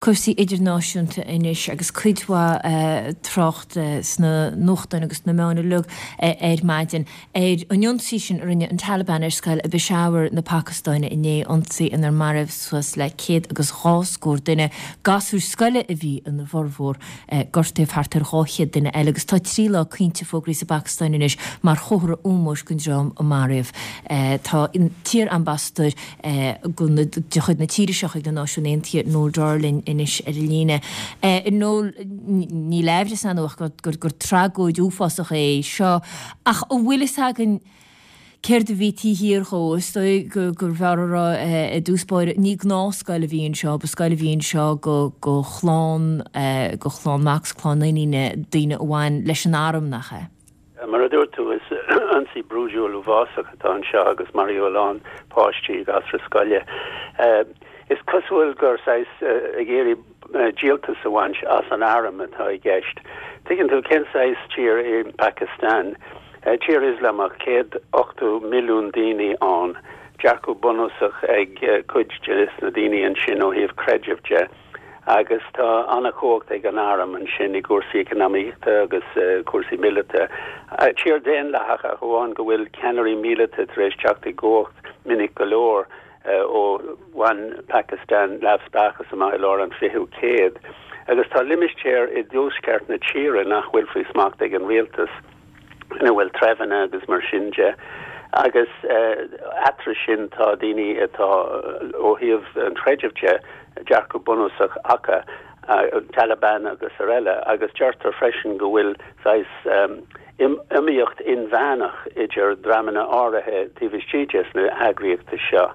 Cúrsaí idirnáisiúnta anois agus cuid mhaith trácht sna nuachtáin agus sna meáin uilig ar maidin ar an ionsaí sin a rinne an Taliban ar scoil i bPeshawar na Pacastáine inné, ionsaí inar maraíodh suas le céad agus dhá scór duine. Gasúir scoile a bhí ina bhformhór. Gortaíodh thart ar 200 duine eile agus tá 3 lá caointe fógraithe sa bPacastáin anois mar chomhartha ómóis don dream a maraíodh. Tá an t-iar-ambasadóir de chuid na tíre seo chuig na Náisiúin Aontaithe, Noel Dorr linn anois ar an líne. Noel, níl aimhreas ann ach gur tragóid uafásach é seo, ach an bhfuil fhios againn céard a bhí taobh thiar dhó? Is dóigh gurbh fhearr a rá i dtús báire, ní gnáthscoil a bhí anseo, ba scoil a bhí anseo do chlann, do chlann mac 's clann iníne daoine a bhain leis an arm, nach ea? Mar a dúirt tú, is ionsaí brúidiúil uafásach atá anseo agus maraíodh a lán páistí, gasúir scoile. Is cosúil gur saghas ag iarraidh díoltas a bhaint as an arm atá i gceist. Tuigeann tú cén saghas tír é Pakistan? Tír Ioslamach, 180 milliún daoine ann, dearcadh bunúsach ag cuid de na daoine ansin ó thaobh creidimh de. Agus tá an-chumhacht ag an arm ansin i gcúrsaí eacnamaíochta agus cúrsaí míleata. Tír daonlathach ach amháin go bhfuil ceannairí míleata tar éis teacht i gcumhacht minic go leor ó bhain Pakistan neamhspleáchas amach i lár an 20ú céad. Agus tá limistéir i dtuaisceart na tíre nach bhfuil faoi smacht ag an rialtas. ina bhfuil treibheanna agus mar sin de agus eatarthu sin tá daoine atá ó thaobh an chreidimh de, dearcadh bunúsach acu, Taliban agus araile agus deirtear freisin go bhfuil saghas iomaíocht inmheánach idir dreamanna áirithe taobh istigh des na heagraíochtaí seo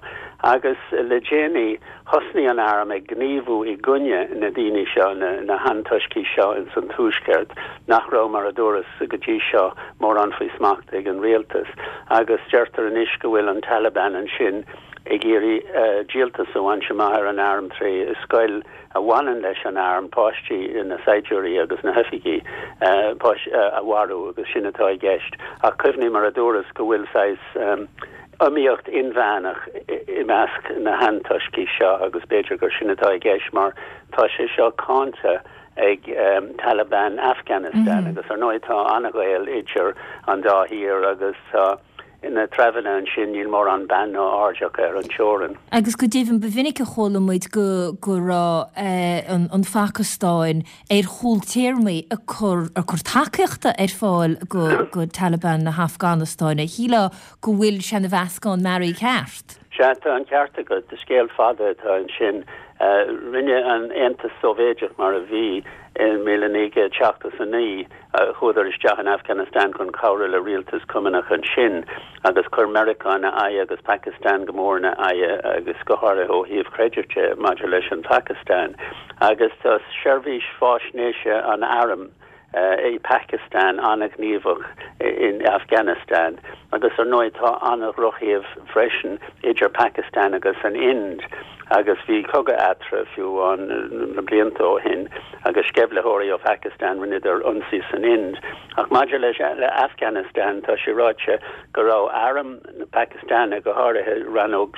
agus le déanaí Thosnaigh an arm ag gníomhú i gcoinne na daoine seo, na hantoiscigh seo ins an tuaisceart, nach raibh, mar a dúras, go dtí seo, mórán faoi smacht ag an rialtas. Agus deirtear anois go bhfuil an Taliban ansin ag iarraidh díoltas a bhaint amach ar an arm tré scoil a bhaineann leis an arm, páistí, na saighdiúirí agus na hoifigigh, a mharú, agus sin atá i gceist. Ach cuimhnigh, mar a dúras, go bhfuil saghas. iomaíocht inmheánach i measc na hantoiscigh seo agus b'fhéidir gur sin atá i gceist mar tá sé seo cáinte ag Taliban Afghanistan agus ar ndóigh tá an-ghaol idir an dá thír agus tá na treibheanna ansin, níl mórán beann ná aird acu ar an teorainn. Agus go deimhin ba mhinic a chuala muid go go raibh an Phacastáin ar chúl téarmaí ag cur ag cur tacaíochta ar fáil go go Taliban na hAfganastáine. Shílfeá go bhfuil sé ina mheascán mearaí ceart. Sea, tá an ceart agat. Scéal fada atá ansin. Rinne an Aontas Sóivéideach mar a bhí i 1979, chuadar isteach in Afghanistan chun cabhrú le rialtas cumannach ansin agus chuir Meiriceá ina aghaidh agus Pakistan go mór ina aghaidh agus go háirithe ó thaobh creidimh de maidir leis an Phacastáin. Agus tá seirbhís fáisnéise an airm, i Pakistan an-ghníomhach in Afghanistan agus ar ndóigh tá an-dhrochthaobh freisin idir Pakistan agus an Ind agus bhí cogadh eatarthu fiú amháin na blianta ó shin agus sceimhlitheoirí ó Phakistan rinneadar ionsaí san Ind. Ach maidir leis le Afghanistan tá sé ráite go raibh arm na Pacastáine, go háirithe rannóg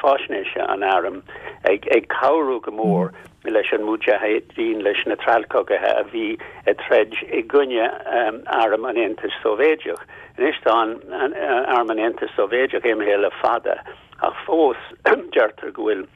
fáisnéise an airm, ag ag cabhrú go mór leis an Mujahideen, leis na treallchogaithe a bhí ag troid i gcoinne arm an Aontais Sóivéideach. Anois tá an arm an Aontais Sóivéideach imithe le fada, ach fós deirtear go bhfuil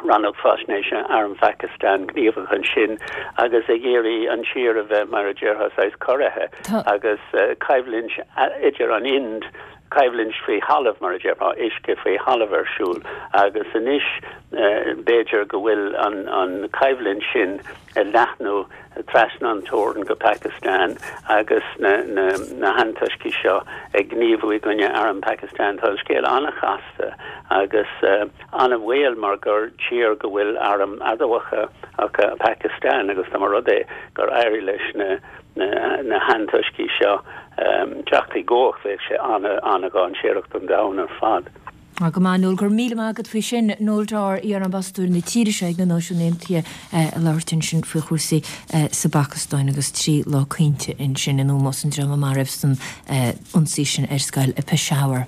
rannóg faisnéise arm Phakistan gníomhach ansin agus ag iarraidh an tír a bheith, mar a déarfá, saghas corraithe agus coimhlint idir an Ind coimhlint faoi thalamh, mar a déarfá, uisce faoi thalamh ar siúl agus anois b'fhéidir go bhfuil an choimhlint sin ag leathnú trasna an teorann go Pakistan agus na hantoiscigh seo ag gníomhú i gcoinne arm Phakistan. Tá an scéal an-chasta agus an-bhaol mar gur tír go bhfuil airm adamhacha acu Pakistan agus dá mba rud é gur éirigh leis na na hantoiscigh seo teacht i gcumhacht, bheadh sé an-an-dhainséarach don domhan ar fad. Go maith, Noel, go raibh míle maith agat faoi sin. Noel Dorr, iar-ambasadóir na tíre seo ag na Náisiúin Aontaithe, ag labhairt ansin faoi chúrsaí sa bPacastáin agus 3 lá caointe ansin in ómós an dream a maraíodh san ionsaí sin ar scoil i Peshawar.